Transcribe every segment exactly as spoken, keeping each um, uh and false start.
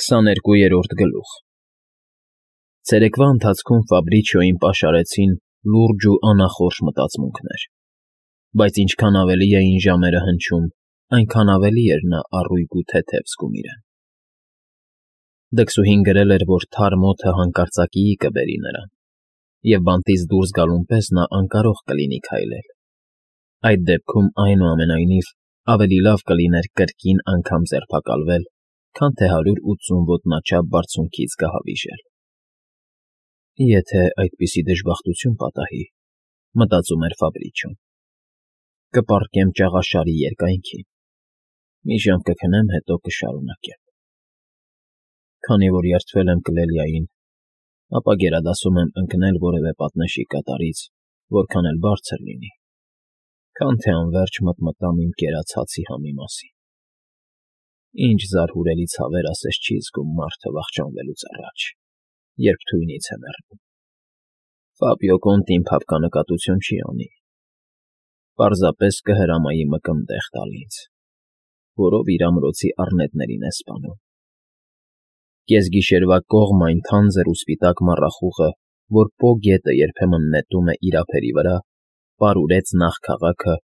Քսաներկուերորդ գլուխ Ցերեկվա ընթացքում Ֆաբրիչիոյին պաշարեցին լուրջ ու անախորժ մտածմունքներ, բայց ինչքան ավելի էին ժամերը հնչում, այնքան ավելի էր նա առույգ ու թեթև զգում իրեն։ Դքսուհին գրել էր, որ թարմ օդը հանկարծակիի կբերի նրան, և բանտից դուրս գալուն պես նա անկարող կլինի քայլել։ Այդ դեպքում, այնուամենայնիվ, ավելի լավ կլիներ կրկին անգամ ձերբակալվել, քան թե հարյուր ութսուն ոտնաչափ բարձունքից գահավիժել։ Եթե այդպիսի դժբախտություն պատահի, մտածում էր Ֆաբրիչիոն, կպառկեմ ճաղաշարի երկայնքին, մի ժամ կքնեմ, հետո կշարունակեմ։ Քանի որ երդվել եմ Կլելիային, ապա գերադասում եմ ընկնել որևէ պատնեշի կատարից, որքան էլ բարձր լինի, քան թե անվերջ մտմտամ իմ կերած հացի համի մասին։ Ինչ զարհուրելի ցավեր ասես չի զգում մարդը վախճանվելուց առաջ, երբ թույնից է մեռնում։ Ֆաբիո Կոնտին փափկանկատություն չի անի, պարզապես կհրամայի մկնդեղ տալ ինձ, որով իր ամրոցի առնետներին է սպանում։ Կեսգիշերվա կողմ այն թանձր ու սպիտակ մառախուղը, որ Պո գետը երբեմն նետում է իր ափերի վրա, պարուրեց նախ քաղաքը,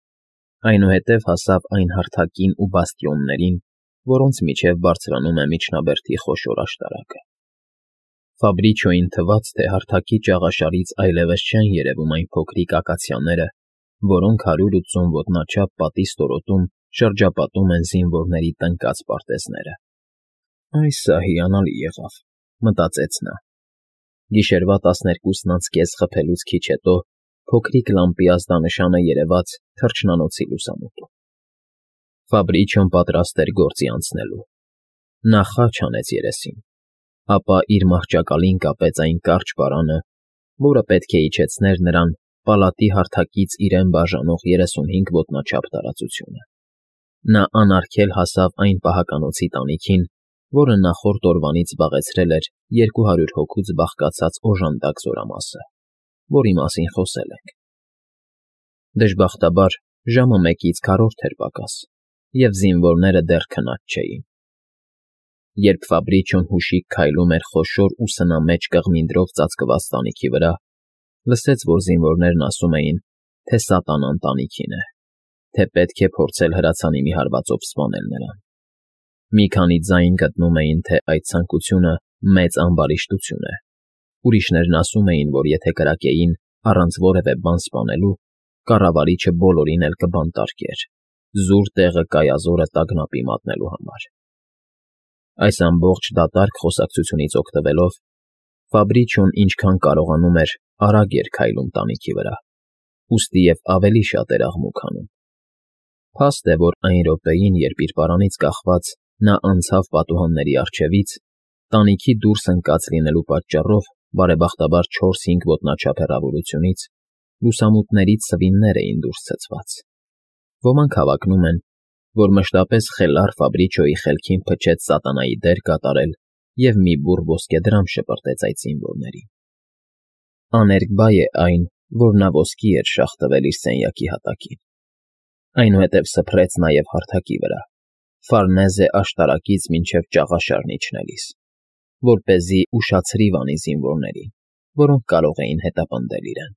այնուհետև հասավ այն հարթակին ու բաստիոններին, որոնց միջև բարձրանում է միջնաբերդի խոշոր աշտարակը։ Ֆաբրիչիոյին թվաց, թե հարթակի ճաղաշարից այլևս չեն երևում այն փոքրիկ ակացիաները, որոնք հարյուր ութսուն ոտնաչափ պատի ստորոտում շրջապատում են զինվորների տնկած պարտեզները։ «Այս սա հիանալի եղավ», մտածեց նա։ Գիշերվա տասներկուսն անց կես խփելուց քիչ հետո փոքրիկ լամպի ազդանշանը երևաց թռչնանոցի լուսամուտում։ Ֆաբրիչիոն պատրաստ էր գործի անցնելու։ Նա խաչ հանեց երեսին, ապա իր մահճակալին կապեց այն կարճ պարանը, որը պետք է իջեցներ նրան պալատի հարթակից իրեն բաժանող երեսունհինգ ոտնաչափ տարածությունը։ Նա անարգել հասավ այն պահականոցի տանիքին, որը նախորդ օրվանից զբաղեցրել էր երկու հարյուր հոգուց բաղկացած օժանդակ զորամասը, որի մասին խոսել ենք։ Դժբախտաբար, ժամը մեկից քառորդ էր պակաս, և զինվորները դեռ քնած չէին։ Երբ Ֆաբրիչիոն հուշիկ քայլում էր խոշոր ու սնամեջ կղմինդրով ծածկված տանիքի վրա, լսեց, որ զինվորներն ասում էին, թե սատանան տանիքին է, թե պետք է փորձել հրացանի մի հարվածով սպանել նրան։ Մի քանի ձայն գտնում էին, թե այդ ցանկությունը մեծ ամբարիշտություն է։ Ուրիշներն ասում էին, որ եթե կրակեին առանց որևէ բան սպանելու, կառավարիչը բոլորին էլ կբանտարկեր, զուր տեղը կայազորը տագնապի մատնելու համար։ Այս ամբողջ դատարկ խոսակցությունից օգտվելով, Ֆաբրիչիոն ինչքան կարողանում էր արագ էր քայլում տանիքի վրա, ուստի և ավելի շատ էր աղմուկ անում։ Փաստ է, որ այն րոպեին, երբ իր պարանից կախված նա անցավ պատուհանների առջևից, տանիքի դուրս ընկած լինելու պատճառով, բարեբախտաբար չորս֊հինգ ոտնաչափ հեռավորությունից, լուսամուտներից սվիններ էին դուրս ցցված։ Ոմանք հավակնում են, որ մշտապես խելառ Ֆաբրիչիոյի խելքին փչեց սատանայի դեր կատարել և մի բուռ ոսկեդրամ շպրտեց այդ զինվորներին։ Աներկբա է այն, որ նա ոսկի էր շաղ տվել իր սենյակի հատակին։ Այնուհետև սփռեց նաև հարթակի վրա, Ֆարնեզե աշտարակից մինչև ճաղաշարն իջնելիս, որպեսզի ուշացրիվ անի զինվորներին, որոնք կարող էին հետապնդել իրեն։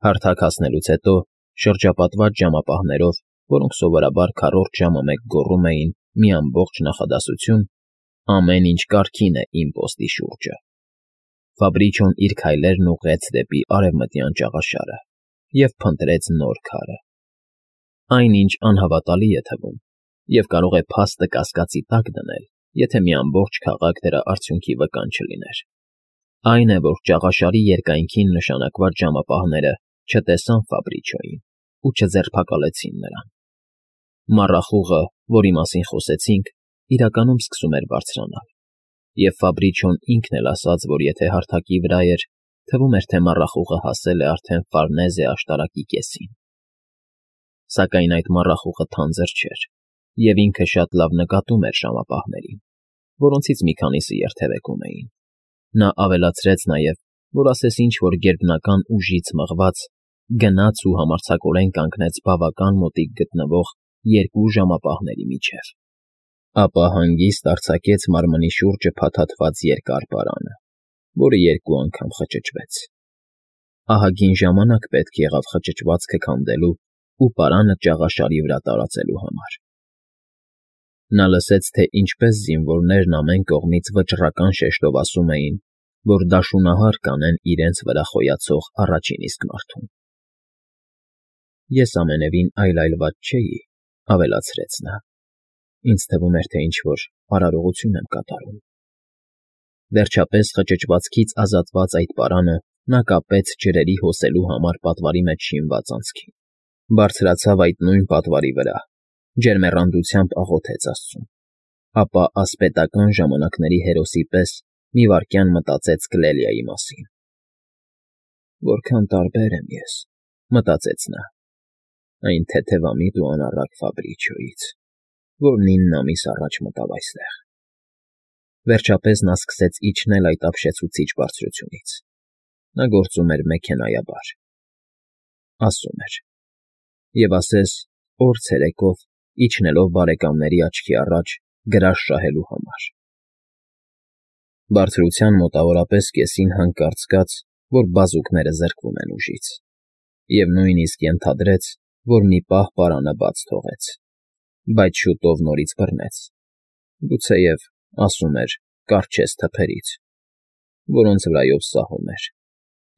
Հարթակ հասնելուց հետո, շրջապատված ժամապահներով, որոնք սովորաբար քառորդ ժամը մեկ գոռում էին մի ամբողջ նախադասություն, ամեն ինչ կարգին է իմ պոստի շուրջը, Ֆաբրիչիոն իր քայլերն ուղղեց դեպի արևմտյան ճաղաշարը և փնտրեց նոր քարը։ Այն, ինչ անհավատալի է թվում, և կարող է փաստը կասկածի տակ դնել, եթե մի ամբողջ քաղաք դրա արդյունքի վկան չլիներ, այն է, որ ճաղաշարի երկայնքին նշանակված ժամապահները չտեսան Ֆաբրիչիոյին ու չձերբակալեցին նրան։ Մառախուղը, որի մասին խոսեցինք, իրականում սկսում էր բարձրանալ, և Ֆաբրիչիոն ինքն էլ ասաց, որ եթե հարթակի վրա էր, թվում էր, թե մառախուղը հասել է արդեն Ֆարնեզե աշտարակի կեսին։ Սակայն այդ մառախուղը թանձր չէր, և ինքը շատ լավ նկատում էր ժամապահներին, որոնցից մի քանիսը երթևեկում էին։ Նա ավելացրեց նաև, որ ասես ինչ-որ գերբնական ուժից մղված, գնաց ու համարձակորեն կանգնեց բավական մոտիկ գտնվող երկու ժամապահների միջև։ Ապա հանգիստ արձակեց մարմնի շուրջը փաթաթված երկար պարանը, որը երկու անգամ խճճվեց։ Ահագին ժամանակ պետք եղավ խճճվածքը քանդելու ու պարանը ճաղաշարի վրա տարածելու համար։ Նա լսեց, թե ինչպես զինվորներն ամեն կողմից վճռական շեշտով ասում էին, որ դաշունահար կանեն իրենց վրա խոյացող առաջին իսկ մարդուն։ Ես ամենևին այլայլված չէի, ավելացրեց նա. ինձ թվում էր, թե ինչ-որ արարողություն եմ կատարում։ Վերջապես խճճվածքից ազատված այդ պարանը նա կապեց ջրերի հոսելու համար պատվարի մեջ շինված անցքին, բարձրացավ այդ նույն պատվարի վրա, ջերմեռանդությամբ աղոթեց Աստծուն, ապա ասպետական ժամանակների հերոսի պես մի վայրկյան մտածեց Կլելիայի մասին։ «Որքան տարբեր եմ ես», մտածեց նա, «այն թեթևամիտ ու անառակ Ֆաբրիչոյից, որն ինն ամիս առաջ մտավ այստեղ»։ Վերջապես նա սկսեց իջնել այդ ապշեցուցիչ բարձրությունից։ Նա գործում էր մեքենայաբար։ Ասում էր. «Եվ ասես օր ցերեկով, իջնելով բարեկամների աչքի առաջ գրաշ շահելու համար»։ Բարձրության մոտավորապես կեսին հանկարծ զգաց, որ բազուկները զրկվում են ուժից, և նույնիսկ ենթադրեց, որ մի պահ պարանը բաց թողեց, բայց շուտով նորից բռնեց, գուցեև, ասում էր, կառչեց թփերից, որոնց վրայով սահում էր,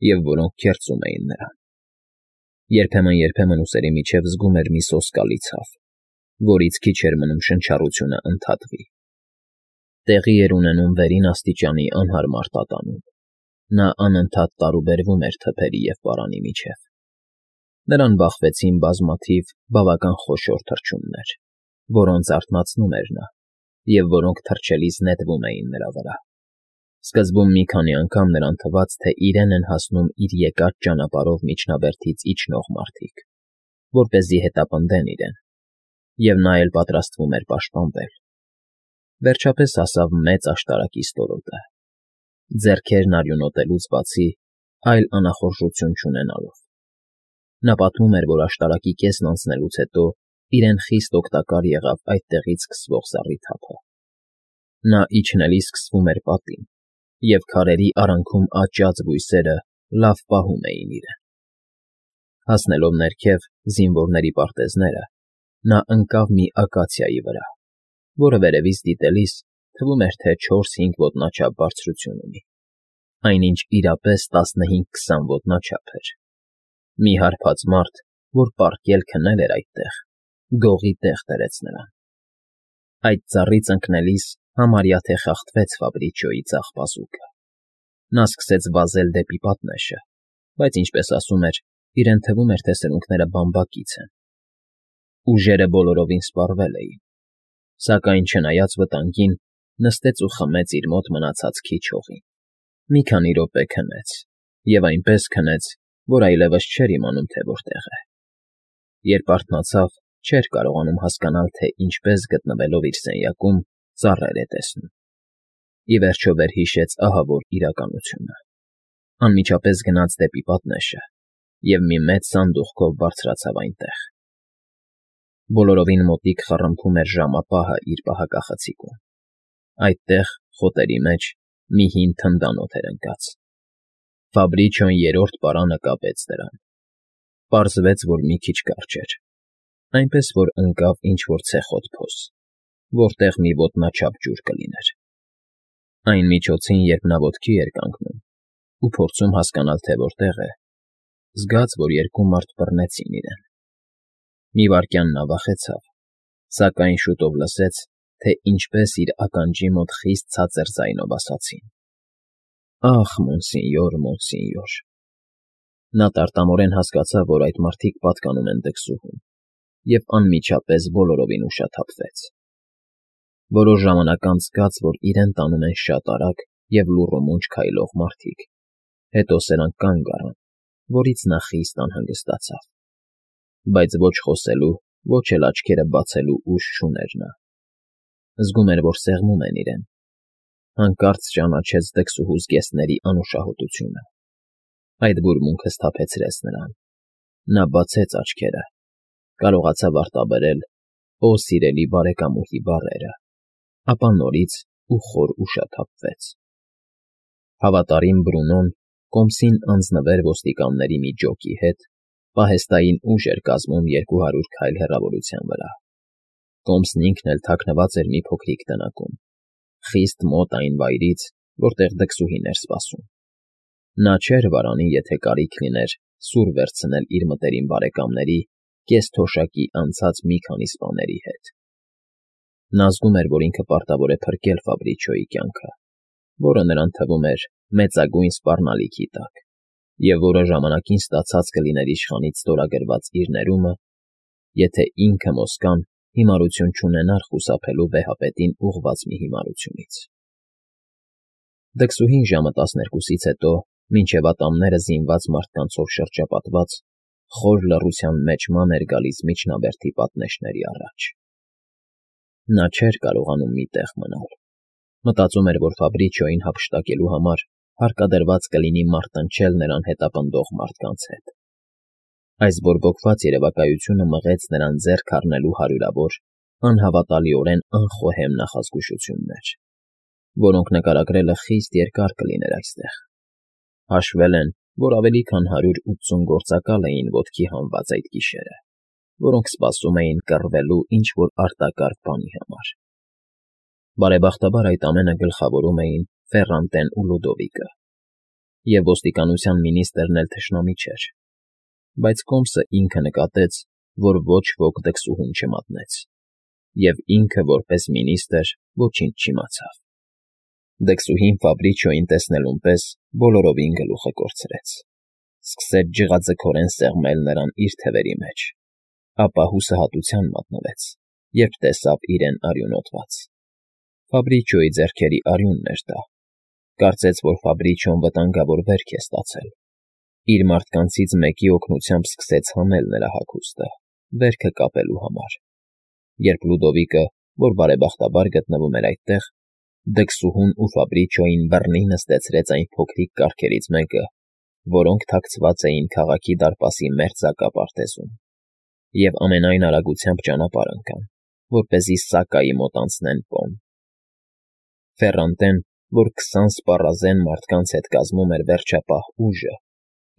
և որոնք քերծում էին նրան։ Երբեմն֊երբեմն ուսերի միջև զգում էր մի սոսկալի ցավ, որից քիչ էր մնում շնչառությունը ընդհատվի։ Տեղի էր ունենում վերին աստիճանի անհարմար տատանում։ Նա անընդհատ տարուբերվում էր թփերի և պարանի միջև։ Նրան բախվեցին բազմաթիվ բավական խոշոր թռչուններ, որոնց արթնացնում էր նա, և որոնք թռչելիս նետվում էին նրա վրա։ Սկզբում մի քանի անգամ նրան թվաց, թե իրեն են հասնում իր եկած ճանապարհով միջնաբերդից իջնող մարդիկ, որպեսզի հետապնդեն իրեն, և նա էլ պատրաստվում էր պաշտպանվել։ Վերջապես հասավ մեծ աշտարակի ստորոտը, ձեռքերն արյունոտելուց բացի այլ անախորժություն չունենալով։ Նա պատմում էր, որ աշտարակի կեսն անցնելուց հետո իրեն խիստ օգտակար եղավ այդտեղից սկսվող զառիթափը։ Նա իջնելիս սկսվում էր պատին, և քարերի արանքում աճած բույսերը լավ պահում էին իրեն։ Հասնելով ներքև զինվորների պարտեզները, նա ընկավ մի ակացիայի վրա, որը վերևից դիտելիս թվում էր, թե չորս֊հինգ ոտնաչափ բարձրություն ունի, այնինչ իրապես տասնհինգ֊քսան ոտնաչափ էր։ Մի հարբած մարդ, որ պառկել քնել էր այդտեղ, գողի տեղ դրեց նրան։ Այդ ծառից ընկնելիս համարյա թե խախտվեց Ֆաբրիչոյի ձախ բազուկը։ Նա սկսեց վազել դեպի պատնեշը, բայց, ինչպես ասում էր, իրեն թվում էր, թե սրունքները բամբակից են։ Ուժերը բոլորովին սպառվել էին, սակայն, չնայած վտանգին, նստեց ու խմեց իր մոտ մնացած քիչ հողին։ Մի քանի րոպե քնեց, և այնպես քնեց, որ այլևս չէր իմանում, թե որտեղ է։ Երբ արթնացավ, չէր կարողանում հասկանալ, թե ինչպես գտնվելով իր սենյակում ծառեր է տեսնում։ Ի վերջո վերհիշեց ահավոր իրականությունը։ Անմիջապես գնաց դեպի պատնեշը և մի մեծ սանդուղքով բարձրացավ այնտեղ։ Բոլորովին մոտիկ խռմփում էր ժամապահը իր պահակախցիկում։ Այդտեղ, խոտերի մեջ, մի հին թնդանոթ էր ընկած։ Ֆաբրիչոն երրորդ պարանը կապեց դրան։ Պարզվեց, որ մի քիչ կարճ էր, այնպես որ ընկավ ինչ֊որ ցեխոտ փոս, որտեղ մի ոտնաչափ ջուր կլիներ։ Այն միջոցին, երբ նա ոտքի էր կանգնում ու փորձում հասկանալ, թե որտեղ է, զգաց, որ երկու մարդ բռնեցին իրեն։ Մի վայրկյան նա վախեցավ, սակայն շուտով լսեց, թե ինչպես իր ականջի մոտ խիստ ցածր ձայնով ասացին. «Ախ, մոնսինյոր, մոնսինյոր»։ Նա տարտամորեն հասկացավ, որ այդ մարդիկ պատկանում են դքսուհուն, և անմիջապես բոլորովին ուշաթափվեց։ Որոշ ժամանակ անց զգաց, որ իրեն տանում են շատ արագ և լուռումունջ քայլող մարդիկ, հետո սրանք կանգ առան, որից նա խիստ անհանգստացավ։ Բայց ոչ խոսելու, ոչ էլ աչքերը բացելու ուժ չուներ նա։ Զգում էր, որ սեղմում են իրեն։ Հանկարծ ճանաչեց դքսուհու զգեստների անուշահոտությունը։ Այդ բուրմունքը սթափեցրեց նրան։ Նա բացեց աչքերը, կարողացավ արտաբերել «Օ սիրելի բարեկամուհի» բառերը, ապա նորից ու խոր ուշաթափվեց։ Հավատարիմ Բրունոն կոմսին անձնվեր ոստիկանների մի ջոկի հետ, պահեստային ուժ էր կազմում երկու հարյուր քայլ հեռավորության վրա։ Կոմսն ինքն էլ թաքնված էր մի փոքրիկ տնակում, խիստ մոտ այն վայրից, որտեղ դքսուհին էր սպասում։ Նա չէր վարանի, եթե կարիք լիներ սուր վերցնել իր մտերիմ բարեկամների կես֊թոշակի անցած մի քանի սպաների հետ։ Նա զգում էր, որ ինքը պարտավոր է փրկել Ֆաբրիչոյի կյանքը, որը նրան թվում էր մեծագույն սպառնալիքի տակ, և որը ժամանակին ստացած կլիներ իշխանից ստորագրված իր ներումը, եթե ինքը Մոսկան հիմարություն չունենար խուսափելու վեհապետին ուղղված մի հիմարությունից։ Դքսուհին ժամը տասներկուսից հետո, մինչև ատամները զինված մարդկանցով շրջապատված, խոր լռության մեջ ման էր գալիս միջնաբերդի պատնեշների առաջ։ Նա չէր կարողանում մի տեղ մնալ։ Մտածում էր, որ Ֆաբրիչոյին հափշտակելու համար հարկադրված կլինի մարտնչել նրան հետապնդող մարդկանց հետ։ Այս բորբոքված երևակայությունը մղեց նրան ձեռք առնելու հարյուրավոր, անհավատալիորեն անխոհեմ նախազգուշություններ, որոնք նկարագրելը խիստ երկար կլիներ այստեղ։ Հաշվել են, որ ավելի քան հարյուր ութսուն գործակալ էին ոտքի հանված այդ գիշերը, որոնք սպասում էին կռվելու ինչ-որ արտակարգ բանի համար։ Բարեբախտաբար այդ ամենը գլխավորում էին Ֆեռանտեն ու Լյուդովիկը, և ոստիկանության մինիստրն էլ թշնամի չէր, բայց Կոմսը ինքը նկատեց, որ ոչ ոք դքսուհուն չմատնեց, և ինքը, որպես մինիստր, ոչինչ չիմացավ։ Դքսուհին Ֆաբրիչոյին տեսնելուն պես բոլորովին գլուխը կորցրեց, սկսեց ջղաձգորեն սեղմել նրան իր թևերի մեջ, ապա հուսահատության մատնվեց, երբ տեսավ իրեն արյունոտված։ Ֆաբրիչոյի ձեռքերի արյունն էր դա, կարծեց, որ Ֆաբրիչոն վտանգավոր վերք է ստացել։ Իր մարդկանցից մեկի օգնությամբ սկսեց հանել նրա հագուստը, վերքը կապելու համար։ Երբ Լյուդովիկը, որ բարեբախտաբար գտնվում էր այդտեղ, դքսուհուն ու Ֆաբրիչոյին բռնի նստեցրեց այն փոքրիկ կառքերից մեկը, որոնք թաքցված էին քաղաքի դարպասի մերձակա պարտեզում, և ամենայն արագությամբ ճանապարհ ընկան, որպեսզի Սակայի մոտ անցնեն Պոն։ Ֆեռանտեն, որ քսան սպառազեն մարդկանց հետ կազմում էր վերջապահ ուժը,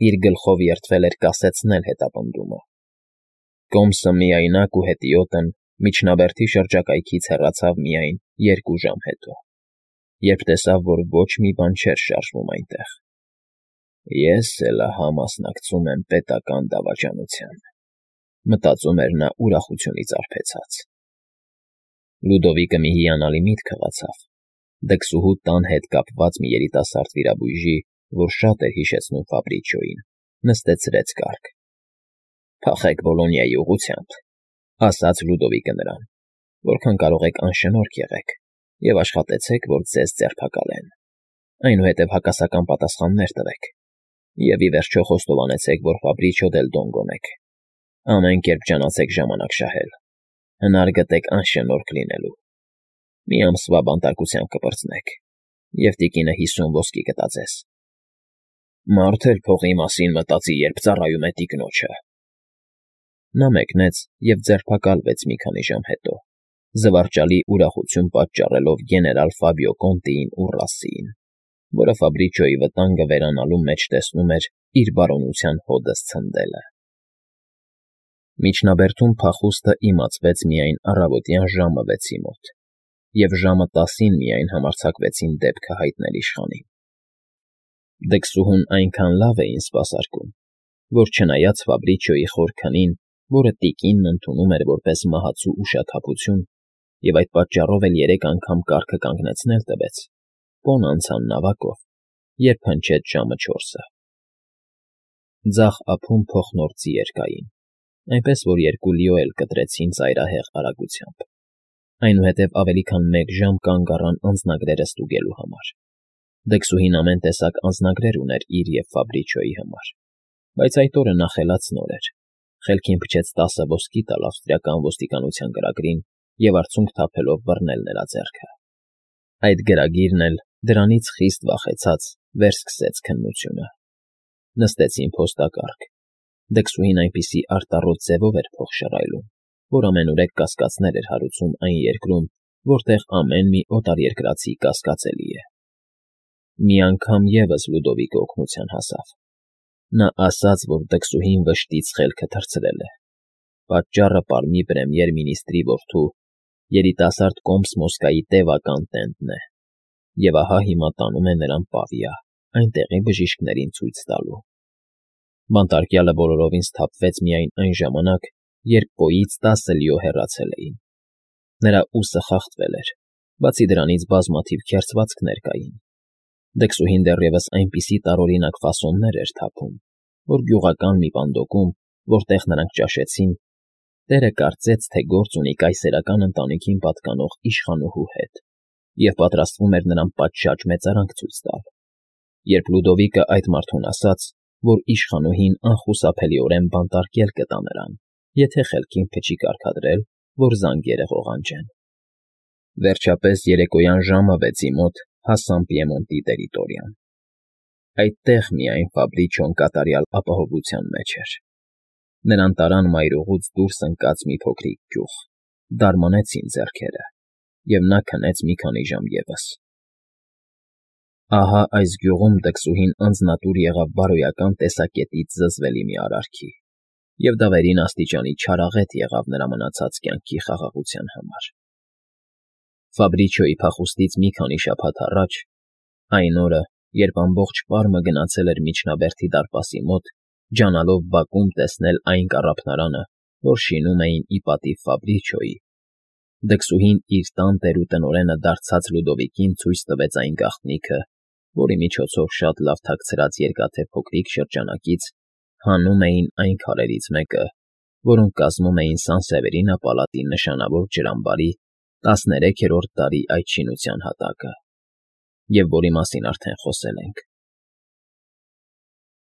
իր գլխով երդվել էր կասեցնել հետապնդումը։ Կոմսը միայնակ ու հետիոտն միջնաբերդի շրջակայքից հեռացավ միայն երկու ժամ հետո, երբ տեսավ, որ ոչ մի բան չէր շարժվում այնտեղ։ «Ես էլ ահա մասնակցում եմ պետական դավաճանությանը», մտածում էր նա ուրախությունից արբեցած։ Լյուդովիկը մի հիանալի միտք հղացավ։ Դքսուհու տան հետ կապված մի երիտասարդ վիրաբույժի, որ շատ էր հիշեցնում Ֆաբրիչոյին, նստեցրեց կառք։ «Փախեք Բոլոնիայի ուղղությամբ», ասաց Լյուդովիկը նրան, «որքան կարող եք անշնորհք եղեք և աշխատեցեք, որ ձեզ ձերբակալեն, այնուհետև հակասական պատասխաններ տվեք, և ի վերջո խոստովանեցեք, որ Ֆաբրիչո դել Դոնգոն եք։ Ամեն կերպ ջանացեք ժամանակ շահել, հնար գտեք անշնորհք լինելու։ Մի ամսվա բանտարկությամբ կպրծնեք, և տիկինը հիսուն ոսկի կտա ձեզ։ Մարդ էլ փողի մասին մտածի, երբ ծառայում է տիկնոջը»։ Նա մեկնեց և ձերբակալվեց մի քանի ժամ հետո, զվարճալի ուրախություն պատճառելով գեներալ Ֆաբիո Կոնտիին ու Ռասսիին, որը Ֆաբրիչոյի վտանգը վերանալու մեջ տեսնում էր իր բարօնության հոդը սցնդելը։ Միջնաբերդում փախուստը իմացվեց միայն առավոտյան ժամը վեցի մոտ, և ժամը տասին միայն համարձակվեցին դեպքը հայտնել իշխանին։ Դքսուհուն այնքան լավ էին սպասարկում, որ չնայած Ֆաբրիչոյի խոր քնին, որը տիկինն ընդունում էր որպես մահացու ուշաթափություն, և այդ պատճառով էլ երեք անգամ կառքը կանգնեցնել տվեց, Պոն անցան նավակով, երբ հնչեց ժամը չորսը։ Ձախ ափում փոխնորձի երկային, այնպես որ երկու լիո էլ կտրեցին ծայրահեղ արագությամբ, այնուհետև ավելի քան մեկ ժամ կանգ առան անձնագրերը ստուգելու համար։ Դքսուհին ամեն տեսակ անձնագրեր ուներ իր և Ֆաբրիչոյի համար, բայց այդ օրը նա խելաց նոր էր, խելքին փչեց տասը ոսկի տալ ավստրիական ոստիկանության գրագրին և արցունք թափելով բռնել նրա ձեռքը։ Այդ գրագիրն էլ, դրանից խիստ վախեցած, վերսկսեց քննությունը։ Նստեցին փոստակառք։ Դքսուհին այնպիսի արտառոտ ձևով էր փող շռայլում, որ ամենուրեք կասկածներ էր հարուցում այն երկրում, որտեղ ամեն մի օտարերկրացի կասկածելի է։ Մի անգամ ևս Լյուդովիկը օգնության հասավ։ Նա ասաց, որ դքսուհին վշտից խելքը թռցրել է։ Պատճառը Պարմի պրեմիեր֊մինիստրի որդու, երիտասարդ կոմս Մոսկվայի տևական տենտն է, և ահա հիմա տանում է նրան Պավիա, այնտեղի բժիշկներին ցույց տալու։ Բանտարկյալը բոլորովին սթափվեց միայն այն ժամանակ, երբ պոյից տասը լիո հեռացել էին։ Նրա ուսը խախտվել էր, բացի դրանից բազմաթիվ քերծվածքներ կային։ Դքսուհին դեռևս այնպիսի տարօրինակ ֆասոններ էր թափում, որ գյուղական մի պանդոկում, որտեղ նրանք ճաշեցին, տերը կարծեց, թե գործ ունի կայսերական ընտանիքին պատկանող իշխանուհու հետ և պատրաստվում էր նրան պատշաճ մեծարանք ցույց տալ։ Երբ Լյուդովիկը այդ մարդուն ասաց, որ իշխանուհին անխուսափելիորեն բանտարկել կտա նրան, եթե խելքին փչի կարգադրել, որ զանգերը ղողանջեն։ Վերջապես երեկոյան ժամը վեցի մոտ հասան Պիեմոնտի տերիտորիան։ Այդտեղ միայն Ֆաբրիչոն կատարյալ ապահովության մեջ էր։ Նրան տարան մայրուղուց դուրս ընկած մի փոքրիկ գյուղ, դարմանեցին ձեռքերը, և նա քնեց մի քանի ժամ ևս։ Ահա այս գյուղում դքսուհին անձնատուր եղավ բարոյական տեսակետից զզվելի մի արարքի, և դա վերին աստիճանի չարաղետ եղավ նրա մնացած կյանքի խաղաղության համար։ Ֆաբրիչոյի փախուստից մի քանի շաբաթ առաջ, այն օրը, երբ ամբողջ Պարմը գնացել էր Միջնաբերդի դարպասի մոտ, ջանալով բակում տեսնել այն կառափնարանը, որ շինում էին ի պատիվ Ֆաբրիչոյի, դքսուհին իր տան տերուտնօրենը դարձած Լյուդովիկին ցույց տվեց այն գաղտնիքը, որի միջոցով շատ լավ թաքցրած երկաթե փոքրիկ շրջանակից հանում էին այն քարերից մեկը, որոնք կազմում էին Սան֊Սևերինա պալատի նշանավոր ջրամբարի տասներեքերորդ դարի այդ շինության հատակը, և որի մասին արդեն խոսել ենք։